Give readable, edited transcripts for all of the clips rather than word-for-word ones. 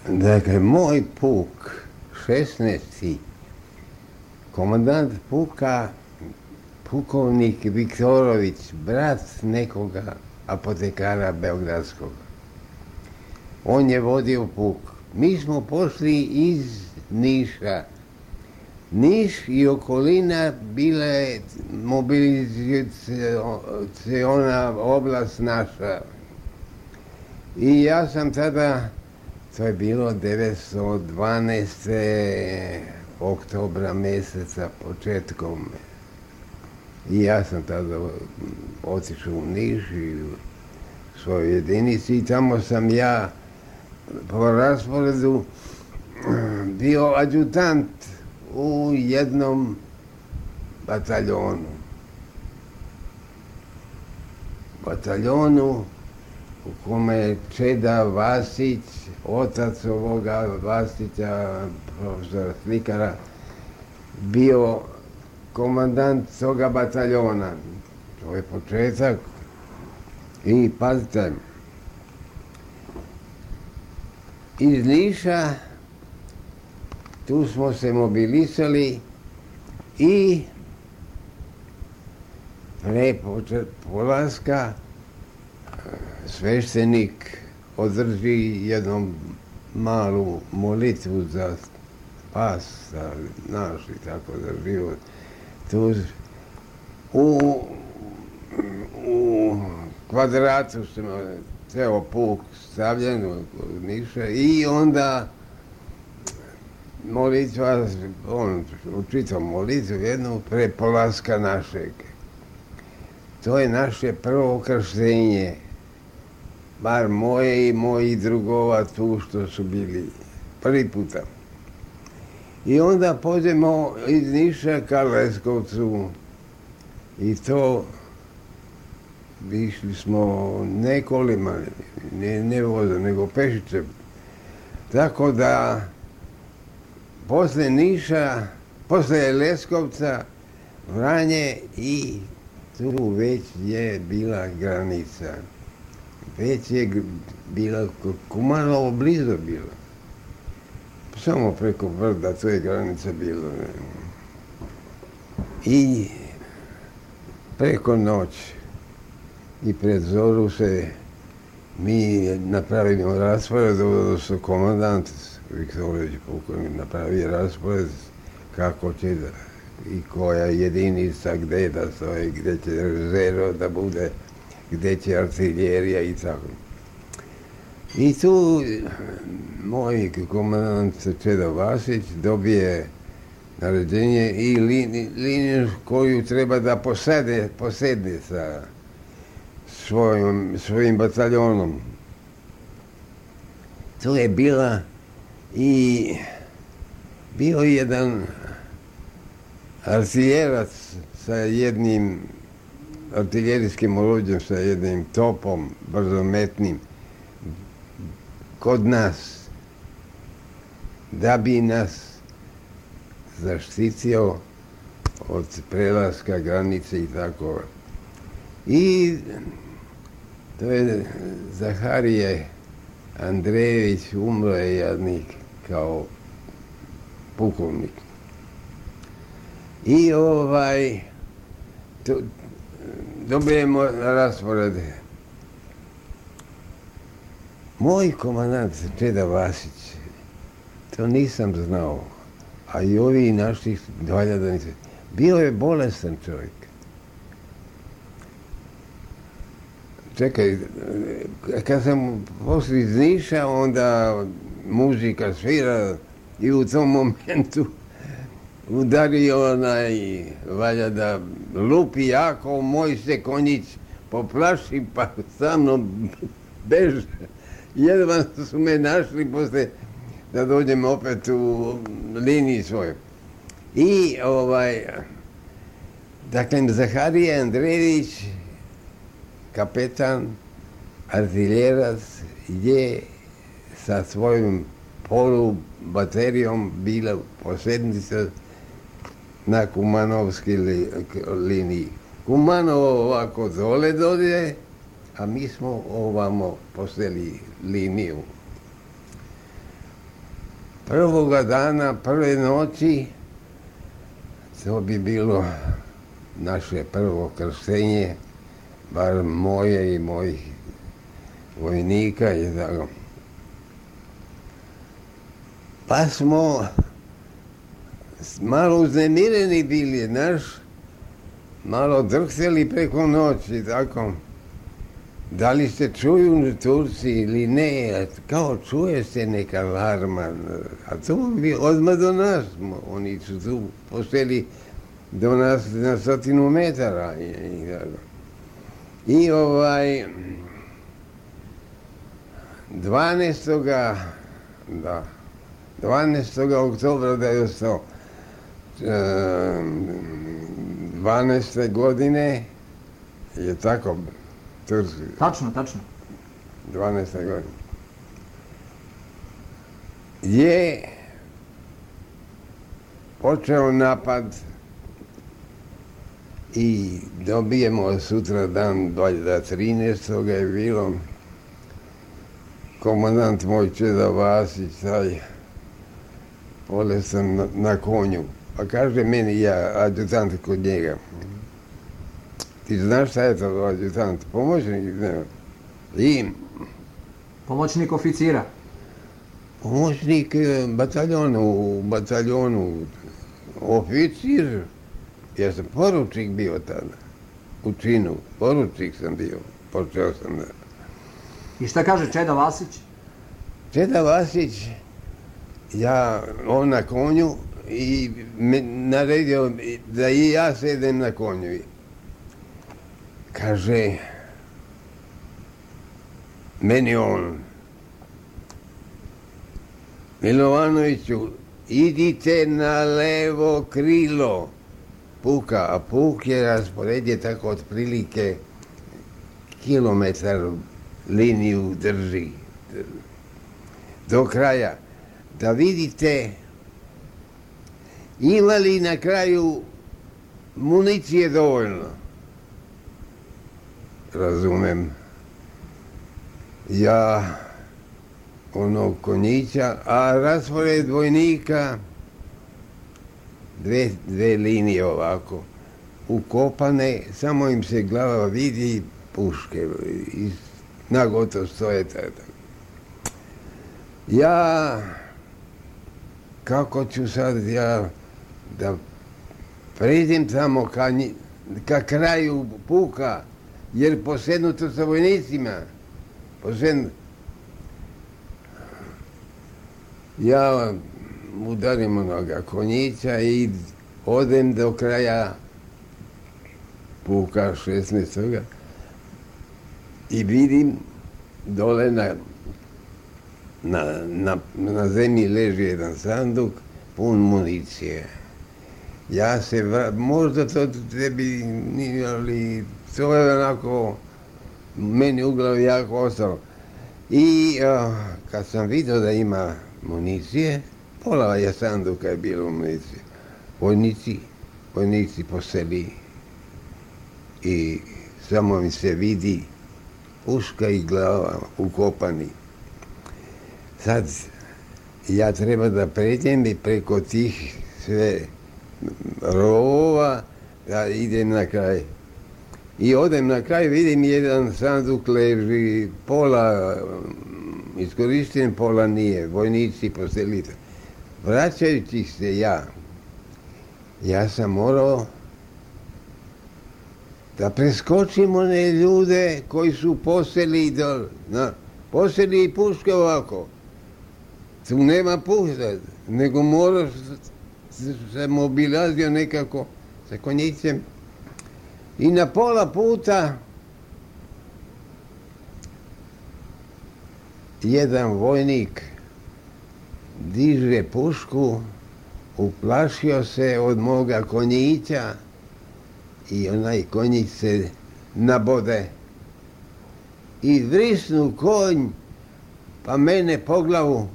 Dakle, moj puk, 16. komandant puka, pukovnik Viktorović, brat nekoga apotekara beogradskog. On je vodio puk. Mi smo pošli iz Niša. Niš i okolina bila je mobilizaciona oblast naša. I ja sam tada, to je bilo 912. oktobra mjeseca početkom. I ja sam tada otišao u Niš i u svojoj jedinici i tamo sam ja po rasporedu bio adjutant u jednom bataljonu. Bataljonu u kome je Čeda Vasić, otac ovoga Vasića, profesora slikara, bio komandant toga bataljona. To je početak. I pazite, iz Niša tu smo se mobilisali i pre polaska sveštenik održi jednu malu molitvu za spas naš i tako za život. Tu u kvadratu smo ceo puk stavljen u Niša i onda molitva, on učitao molitvu jednu pre polaska našeg. To je naše prvo krštenje, bar moje i mojih drugova tu što su bili prvi puta. I onda pođemo iz Niša ka Leskovcu i to išli smo ne kolima, ne vozom, nego pešice. Tako da posle Niša, posle Leskovca, Vranje i tu već je bila granica. Već je bila Kumanovo blizu bilo. Samo preko brda, to je granica bilo. I preko noći i pred zoru se mi napravimo raspored, odnosno komandant Viktorović pukovnik napravi raspored kako će i koja jedinica gde da stoji, gde će rezerva da bude, gde će artiljerija i tako. I tu moj komandant Čeda Vasić dobije naređenje i liniju koju treba da posedne sa svojim bataljonom. To je bila i bio jedan artiljerac sa jednim artiljerijskim oruđem, sa jednim topom brzometnim kod nas, da bi nas zaštitio od prelaska granice i tako. I to je Zaharije Andrejević, umro je jadnik kao pukovnik. I dobijemo rasporede. Moj komandant Čeda Vasić, to nisam znao, a i ovi naših valjada bio je bolestan čovjek. Čekaj, kad sam poslije iz Niša, onda muzika svira i u tom momentu udario onaj, valja da lupi jako, moj se konjić poplaši pa sa mnom beže. Jedva su me našli posle da dođem opet u liniji svoju. I dakle, Zaharije Andrejević, kapetan, artiljerac, je sa svojom polubaterijom bila posednica na Kumanovskoj liniji. Kumanovo ovako dole dođe, a mi smo ovamo poseli liniju. prvoga dana, prve noći, to bi bilo naše prvo krštenje, bar moje i mojih vojnika i tako. Pa smo malo uznemireni bili, znaš, malo drhteli preko noći, tako. Da li se čuju Turci ili ne, kao čuje se neka alarma, a to bi odmah do nas, oni su tu posteli do nas na 100 metara. I 12. oktobra 1912. godine je tako Turski. Tačno. 12. godine. Je počeo napad i dobijemo sutra dan, valjda 13. je bilo, komandant moj Čeda Vasić, taj bolestan na konju. Pa kaže meni, ja, adjutant kod njega, ti znaš šta je to adjutant? Pomoćnik? I Pomoćnik oficira? Pomoćnik u bataljonu, oficir. Ja sam poručnik bio tada, u činu, poručnik sam bio, počeo sam da. I šta kaže Čeda Vasić? Čeda Vasić, on na konju i me naredio da i ja sedem na konju. Kaže, meni on, Milovanoviću, idite na levo krilo puka, a puk je rasporedje tako otprilike kilometar liniju drži do kraja. Da vidite ima li na kraju municije dovoljno. Razumem. Ja onog konjića, a raspored vojnika dve linije ovako ukopane, samo im se glava vidi i puške i nagotovo stoje tada. Ja, kako ću sad da pređem tamo ka kraju puka, jer posednuto sa vojnicima, ja udarim onoga konjića i odem do kraja puka 16. i vidim dole na zemlji leži jedan sanduk pun municije. Ja se možda to tebi nije, ali to je onako meni u glavi jako ostalo. I kad sam vidio da ima municije, pola je sanduka je bilo municije. Vojnici poseli i samo mi se vidi puška i glava ukopani. Sad ja treba da pređem i preko tih sve rovova da idem na kraj. I odem na kraj, vidim jedan sanduk leži, pola iskorišten, pola nije, vojnici poselite. Vraćajući se ja sam morao da preskočim one ljude koji su poseli i puške ovako. Tu nema pušta, nego moraš se mobilazio nekako sa konjicem. I na pola puta jedan vojnik diže pušku, uplašio se od moga konjića i onaj konjić se nabode. I vrisnu konj, pa mene po glavu.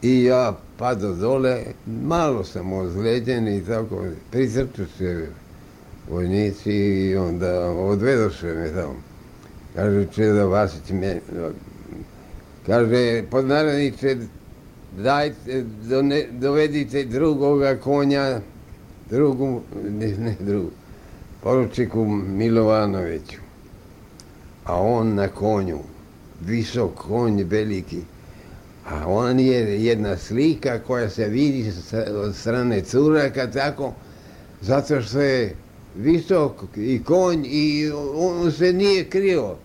I ja pado dole, malo sam ozlijeđen i tako, prizrču se vojnici i onda odvedoše me tamo. Kaže Čeda Vasić, Kaže, podnaredniče, dajte, dovedite drugoga konja, poručiku Milovanoviću. A on na konju, visok konj, veliki. A on je jedna slika koja se vidi od strane curaka tako, zato što je visok i konj i on se nije krio.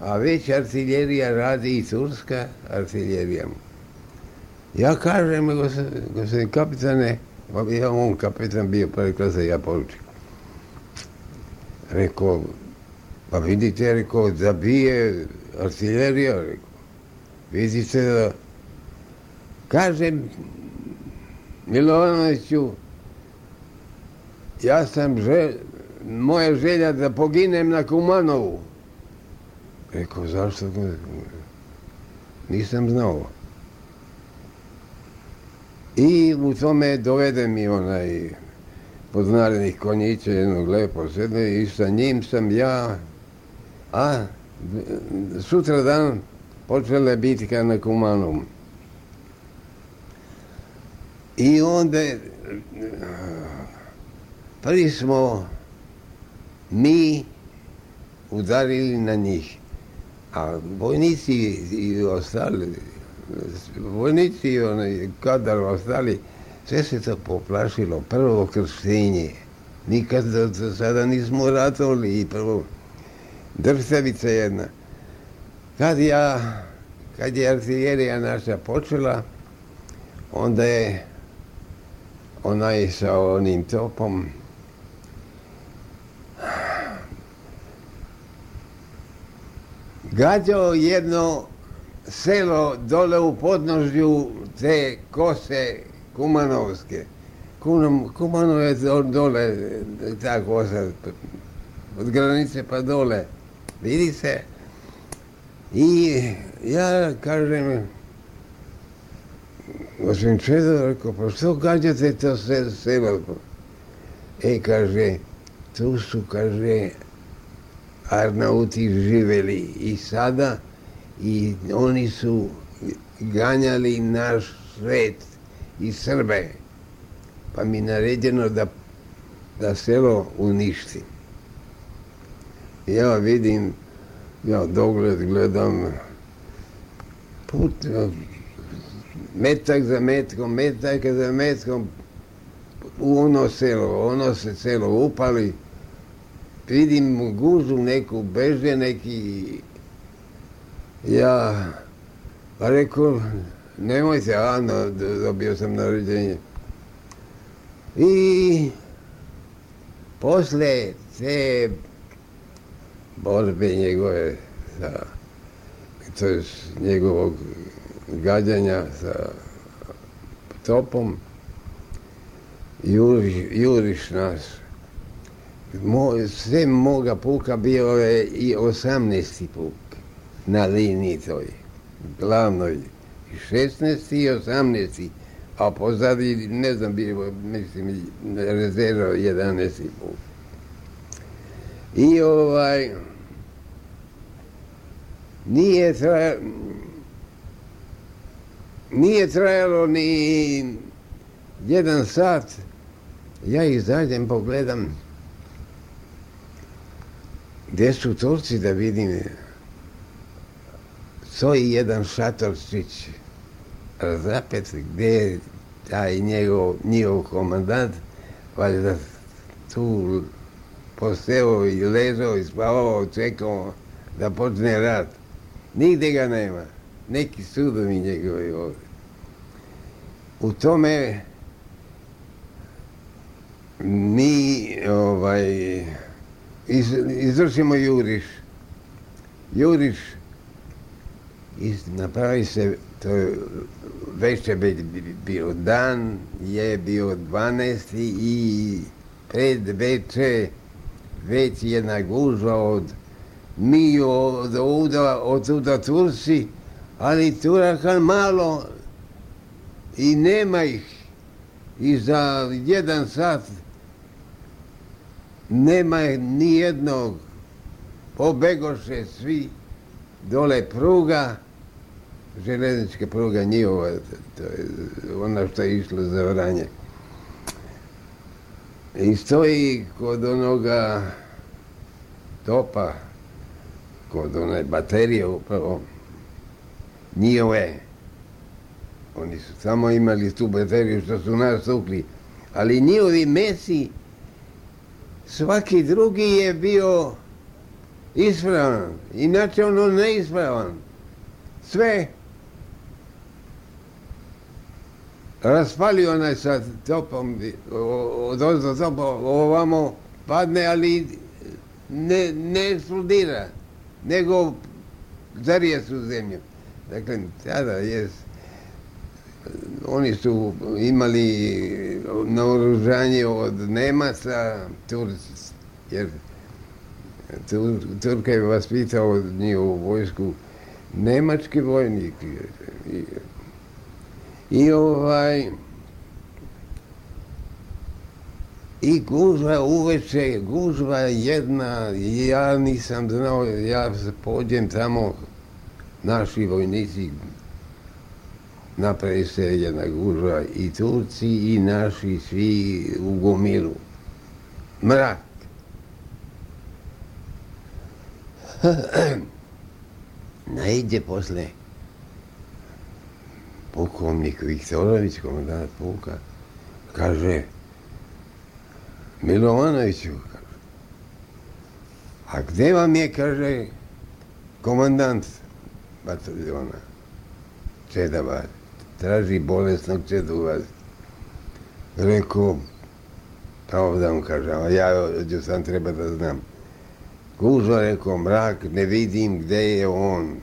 A već artiljerija radi i turska artiljerija. Ja kažem, gospodin kapitane, ja on kapitan bio prve klase, ja poručik. Rekao, pa vidite, rekao, da bije artiljerija, rekao. Vidite da... Kažem, Milovanoviću, moja želja da poginem na Kumanovu. Rekao, zašto? Nisam znao. I u tome dovede mi onaj podnarednih konjića, jednog lepo sede, i sa njim sam ja, a sutra dan počela je bitka na Kumanovu. I onda prvi smo mi udarili na njih, a vojnici i ostali, vojnici i kadar ostali, sve se to poplašilo. Prvo krštenje, nikad do sada nismo ratovali i prvo drsavica jedna. Kad je artiljerija naša počela, onda je onaj sa onim topom gađao jedno selo dole u podnožju te kose Kumanovske. Kumanov je dole, ta kosa, od granice pa dole, vidi se. I ja kažem, gospodin Čedo, rekao, pa što gađate to selo? Kaže, tu su, kaže, Arnauti živeli i sada i oni su ganjali naš svet i Srbe. Pa mi naređeno da selo uništi. Ja vidim, ja dogled gledam, metak za metkom, u ono se selo upali, vidim gužu neku, beže neki, ja rekao, nemojte, dobio sam naređenje. I posle te borbe njegove, to je njegovog gađanja sa topom, juriš nas. Sve moga puka bio je i 18. puk na liniji toj, glavnoj, 16. i 18. A pozadi, ne znam, bilo, mislim, rezerva 11. puk. I nije trajalo ni 1 sat, ja izađem, pogledam gdje su Turci, da vidim, stoji jedan šatorčić razapet, gdje je taj njihov komandant, valjda tu posteo i ležao i spavao, čekao da počne rat. Nigde ga nema, neki sudovi njegovi ovdje. U tome mi izvršimo juriš i napravi se, to već je bio dan, je bio 12. i pred veče već jedna gužva mi od tuda Turci, ali Turaka malo i nema ih. I za 1 sat nema ni jednog, pobegoše svi, dole pruga, željeznička pruga njihova, to je ona što je išla za Vranje. I stoji kod onoga topa, kod one baterije upravo, njihove. Oni su samo imali tu bateriju što su nas tukli, ali njihovi mesi, svaki drugi je bio ispravan, inače ono neispravan. Sve raspali onaj sa topom, odozdo topa ovamo padne, ali ne eksplodira, nego zarije su zemlju. Dakle, tada oni su imali naoružanje od Nemaca, jer Turka je vaspitao njihovu vojsku nemački vojnik. I gužva uveče, gužva jedna, ja nisam znao, ja pođem tamo, naši vojnici, napravi se jedna gužva, i Turci i naši svi u gomilu. Mrak. Naiđe posle pukovnik Viktorović, komandant puka, kaže, Milovanoviću, kaže, a gde vam je, kaže, komandant bataljona Čeda Vasić, traži bolesnog Čedu Vasić. Rekao, ovdje mu kaže, a ja sam treba da znam. Gužva, rekao, mrak, ne vidim gde je on.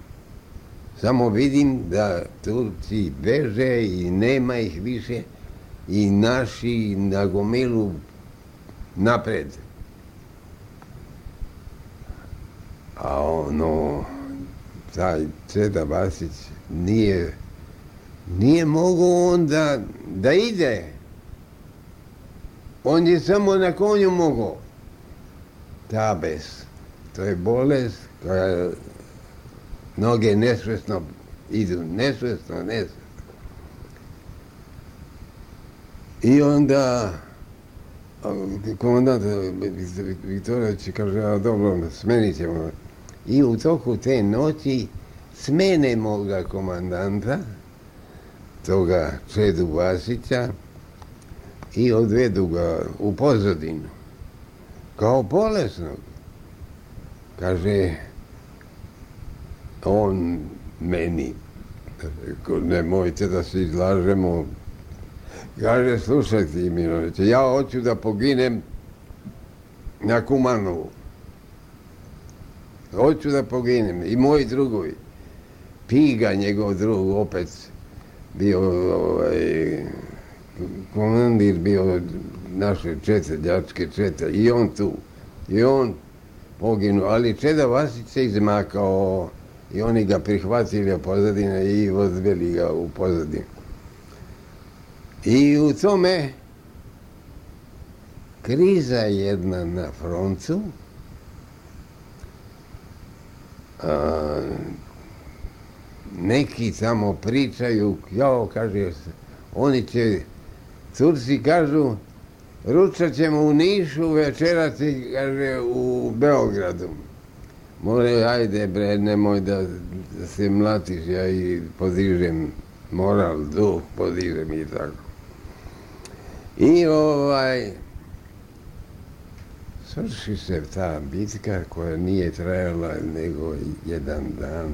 Samo vidim da Turci beže i nema ih više i naši na gomilu napred. A taj Čeda Vasić nije mogao on da ide. On je samo na konju mogao. Tabes. To je bolest koja noge nesvesno idu, nesvesno. I onda komandant Viktorović kaže, a dobro, smenit ćemo. I u toku te noći smenemo ga komandanta, toga Čedu Vasića, i odvedu ga u pozadinu, kao bolesnog. Kaže, on meni, nemojte da se izlažemo, kaže, slušajte, Miloviće, ja hoću da poginem na Kumanovu. Hoću da poginem, i moji drugovi. Piga, njegov drug, opet bio komandir, bio naše čete, đačke čete, i on tu. I on poginuo, ali Čeda Vasić se izmakao i oni ga prihvatili u pozadine i odveli ga u pozadinu. I u tome kriza jedna na frontu, neki tamo pričaju, kaže, Turci kažu, ručat ćemo u Nišu, večerati, kaže, u Beogradu. More, ajde bre, nemoj da se mlatiš, ja i podižem moral, duh podižem i tako. I svrši se ta bitka koja nije trajala nego jedan dan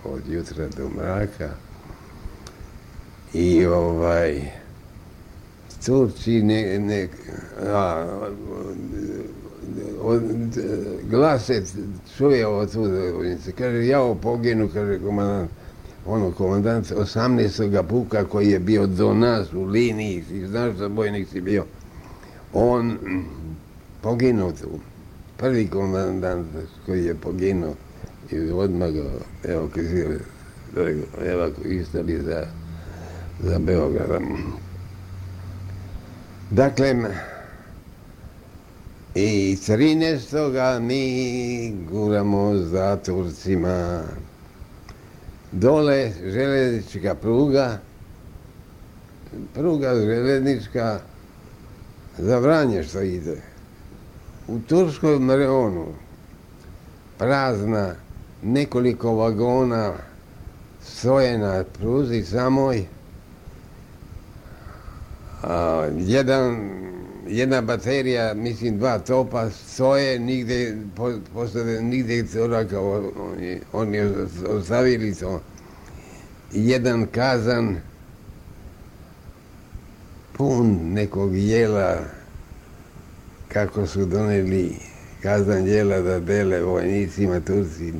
od jutra do mraka. I Turci glase čuje od tuda, kaže, ja poginu, kaže komandant 18. puka koji je bio do nas u liniji, i znaš da bojnik si bio, on poginuo tu, prvi komandant koji je poginuo, i odmah ga evakuisali za Beograd. Dakle, i 13. mi guramo za Turcima dole željeznička pruga željeznička za Vranje što ide. U Turskoj Marionu prazna, nekoliko vagona stoje na pruzi samoj, jedna baterija, mislim 2 topa stoje, nigdje curaka, oni ostavili to. Jedan kazan pun nekog jela, kako su donijeli kazan jela da dele vojnicima Turci,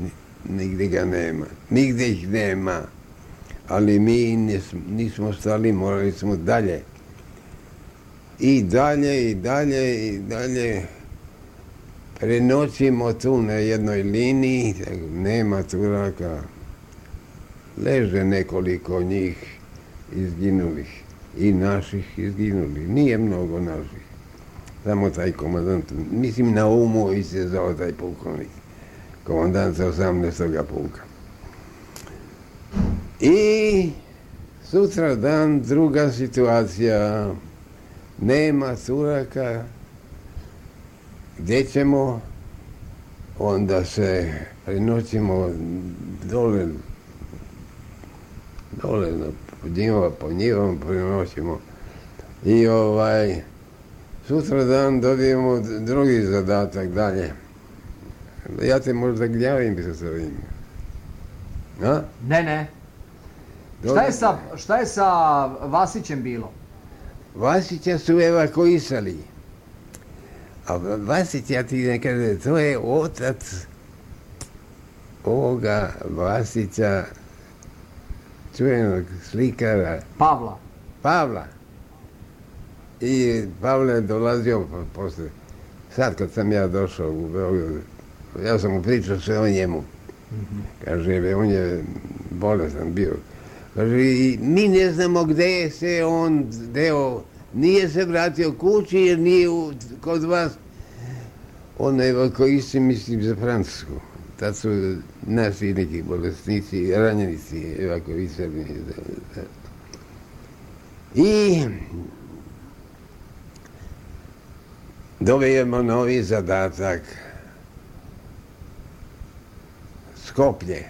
nigdje ga nema, nigdje ih nema, ali mi nismo stali, morali smo dalje. I dalje prenoćimo tu na jednoj liniji, nema Turaka, leže nekoliko njih izginulih i naših izginulih, nije mnogo naših, samo taj komandant, mislim na umu se zvao taj pukovnik, komandant 18. puka. I sutra dan druga situacija, nema Turaka, gdje ćemo, onda se prenoćimo dole po njivom prenoćimo i sutra dan dobijemo drugi zadatak dalje. Ja te možda gnjavim sa svim. A? Ne. Šta je sa Vasićem bilo? Vasića su evakuisali. A Vasić, ja ti ne kažem, to je otac ovoga Vasića, čuvenog slikara. Pavla. I Pavle je dolazio posle. Sad kad sam ja došao u Beogradu, ja sam mu pričao sve o njemu. Kaže, on je bolestan bio. Kaže, i mi ne znamo gdje se on deo, nije se vratio kući jer nije kod vas. On je evakuisti, mislim, za Francusku. Tad su naši neki bolesnici, ranjenici evakuisani. I dobijemo novi zadatak. Skoplje.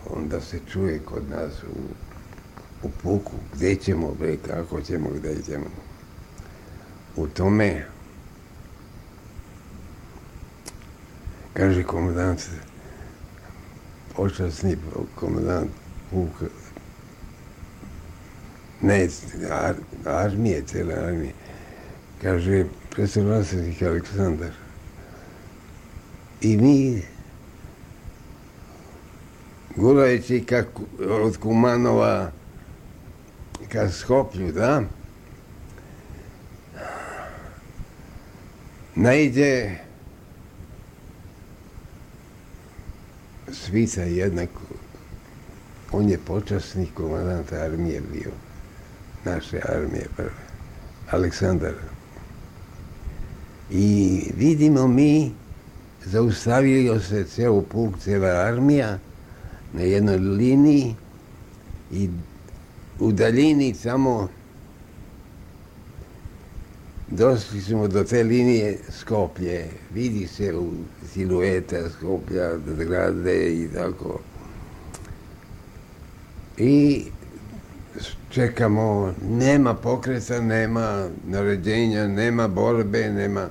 Onda se čuje kod nas u puku gdje ćemo, kako ćemo, gdje ćemo. U tome kaže komandant, počasni komandant puka, ne, armije, cijele armije, kaže, predstavljanstvnik Aleksandar. I mi, gurajući od Kumanova ka Skoplju, da, najde Svica jednako, on je počasnik komandant armije bio, naše armije prve, Aleksandar. I vidimo mi, zaustavio se cijel puk, cijela armija na jednoj liniji i u daljini samo došli smo do te linije Skoplje, vidi se u silueta Skoplja, zgrade i tako. I čekamo, nema pokreta, nema naređenja, nema borbe, nema...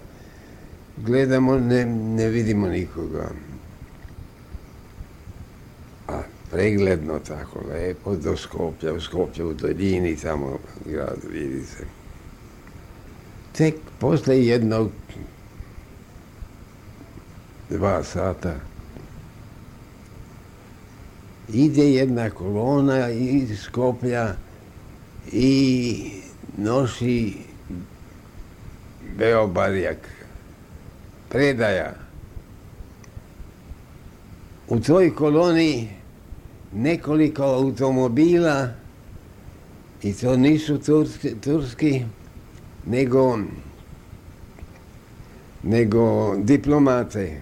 Gledamo, ne vidimo nikoga. A pregledno tako, lepo, do Skoplja, u Skoplju, u daljini, tamo grad, vidi se. Tek posle jednog 2 sata ide jedna kolona iz Skoplja i nosi Beobarjak, predaja. U toj koloni nekoliko automobila i to nisu turski, nego diplomate.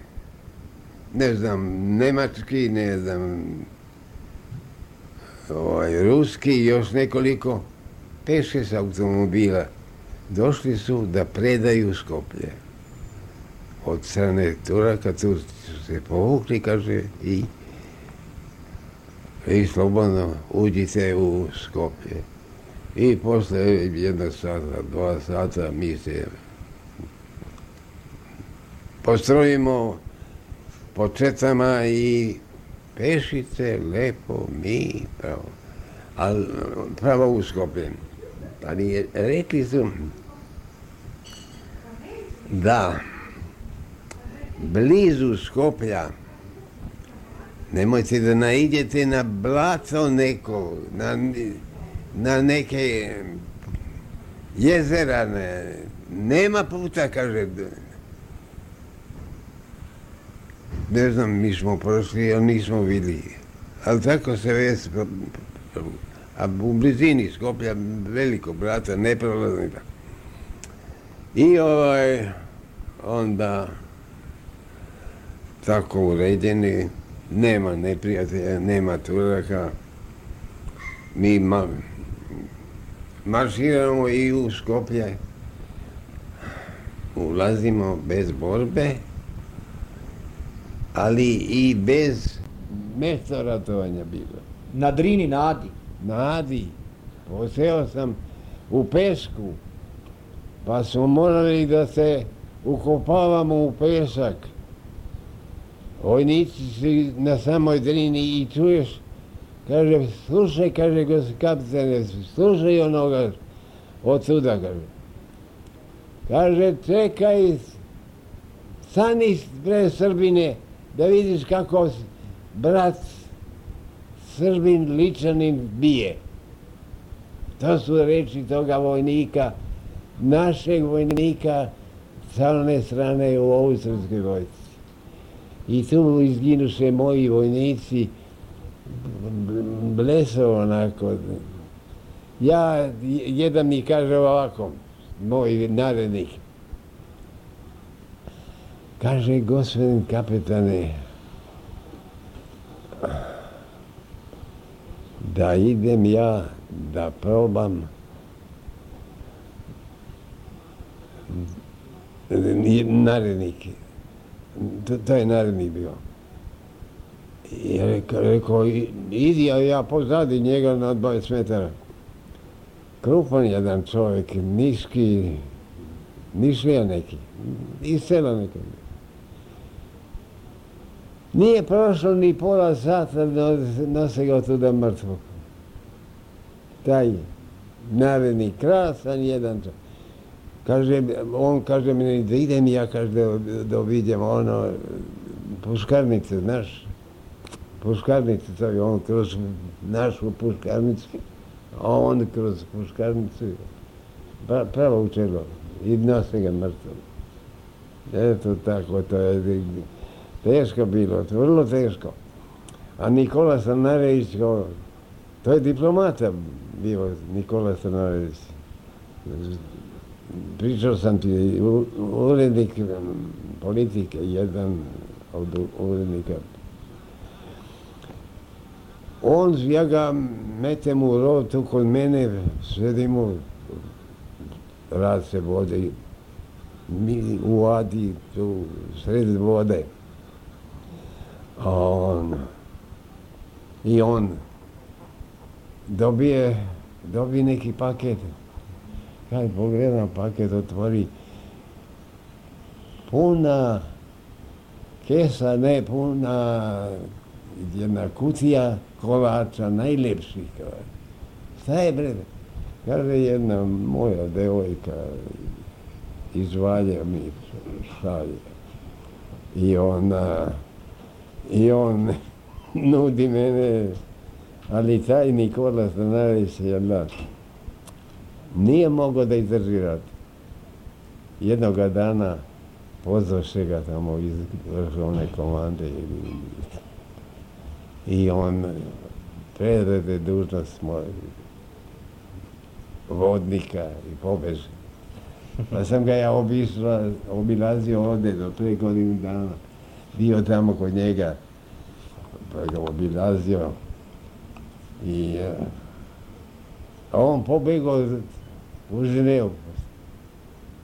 ne znam, nemački, ne znam, ruski i još nekoliko, 5-6 automobila. Došli su da predaju Skoplje. Od strane Turaka, Turci su se povukli, kaže, i slobodno uđite u Skoplje. I posle 1 sata, 2 sata mi se postrojimo po četama i pešice, lepo, mi, pravo u Skoplje. Ali rekli su da blizu Skoplja nemojte da naiđete na blato neko, na neke jezera, nema puta, kaže. Ne znam, mi smo prošli, ali nismo vidjeli. Ali tako se već, a u blizini Skoplja veliko brata, neprolazno. I onda tako uređeni, nema neprijatelja, nema Turaka. Mi marširamo i u Skoplje, ulazimo bez borbe, ali i bez mjesta ratovanja bilo. Na Drini, na Adi? Na Adi. Poseo sam u pesku, pa smo morali da se ukopavamo u pesak. Vojnici su na samoj Drini i čuješ, kaže, slušaj, kaže, kapitane, slušaj onoga od tuda, kaže. Kaže, čekaj, stani pre Srbine, da vidiš kako brat Srbin Ličanin bije. To su reči toga vojnika, našeg vojnika sa one strane u austrijskoj vojsci. I tu izginuše moji vojnici, bleso onako. Jedan mi kaže ovako, moj narednik, kaže, gospodin kapetane, da idem ja da probam narednik. To je narednik bio. I rekao, idi, ja pozadi njega na 20 metara. Krupan jedan čovjek, niški, nišlija neki, iz sela neki. Nije prošlo ni pola sata, nose ga tuda mrtvog. Taj narednik, krasan jedan čovjek. On kaže mi da idem ja, kaže, da vidjem puškarnice, znaš, puškarnice, to je on kroz našu puškarnicu, a on kroz puškarnicu, pravo u čelo, i nose ga mrtvo. Eto tako, to je teško bilo, vrlo teško. A Nikola Stanarević, to je diplomata bio Nikola Stanarević. Pričao sam ti, urednik politike, jedan od urednika. Ja ga metem u rov tu kod mene, sedimo, rad se vode, mi u Adi, tu sred vode. I on dobije neki paket. Kad pogledam paket, otvori puna kesa, ne puna, jedna kutija kolača, najljepših. Šta je, bre? Kaže, jedna moja devojka iz Valja mi šalje. I on nudi mene, ali taj Nikola Stanarević nije mogao da izdrži rat. Jednoga dana pozvaše ga tamo iz vrhovne komande i on predade dužnost vodnika i pobeže. Pa sam ga ja obilazio ovdje do 3 godine dana. bio tamo kod njega, pa ga obilazio i on pobegao u Ženevu.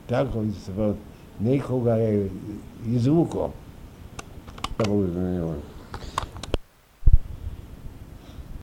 Tako nikoga je izvukao u Ženevu.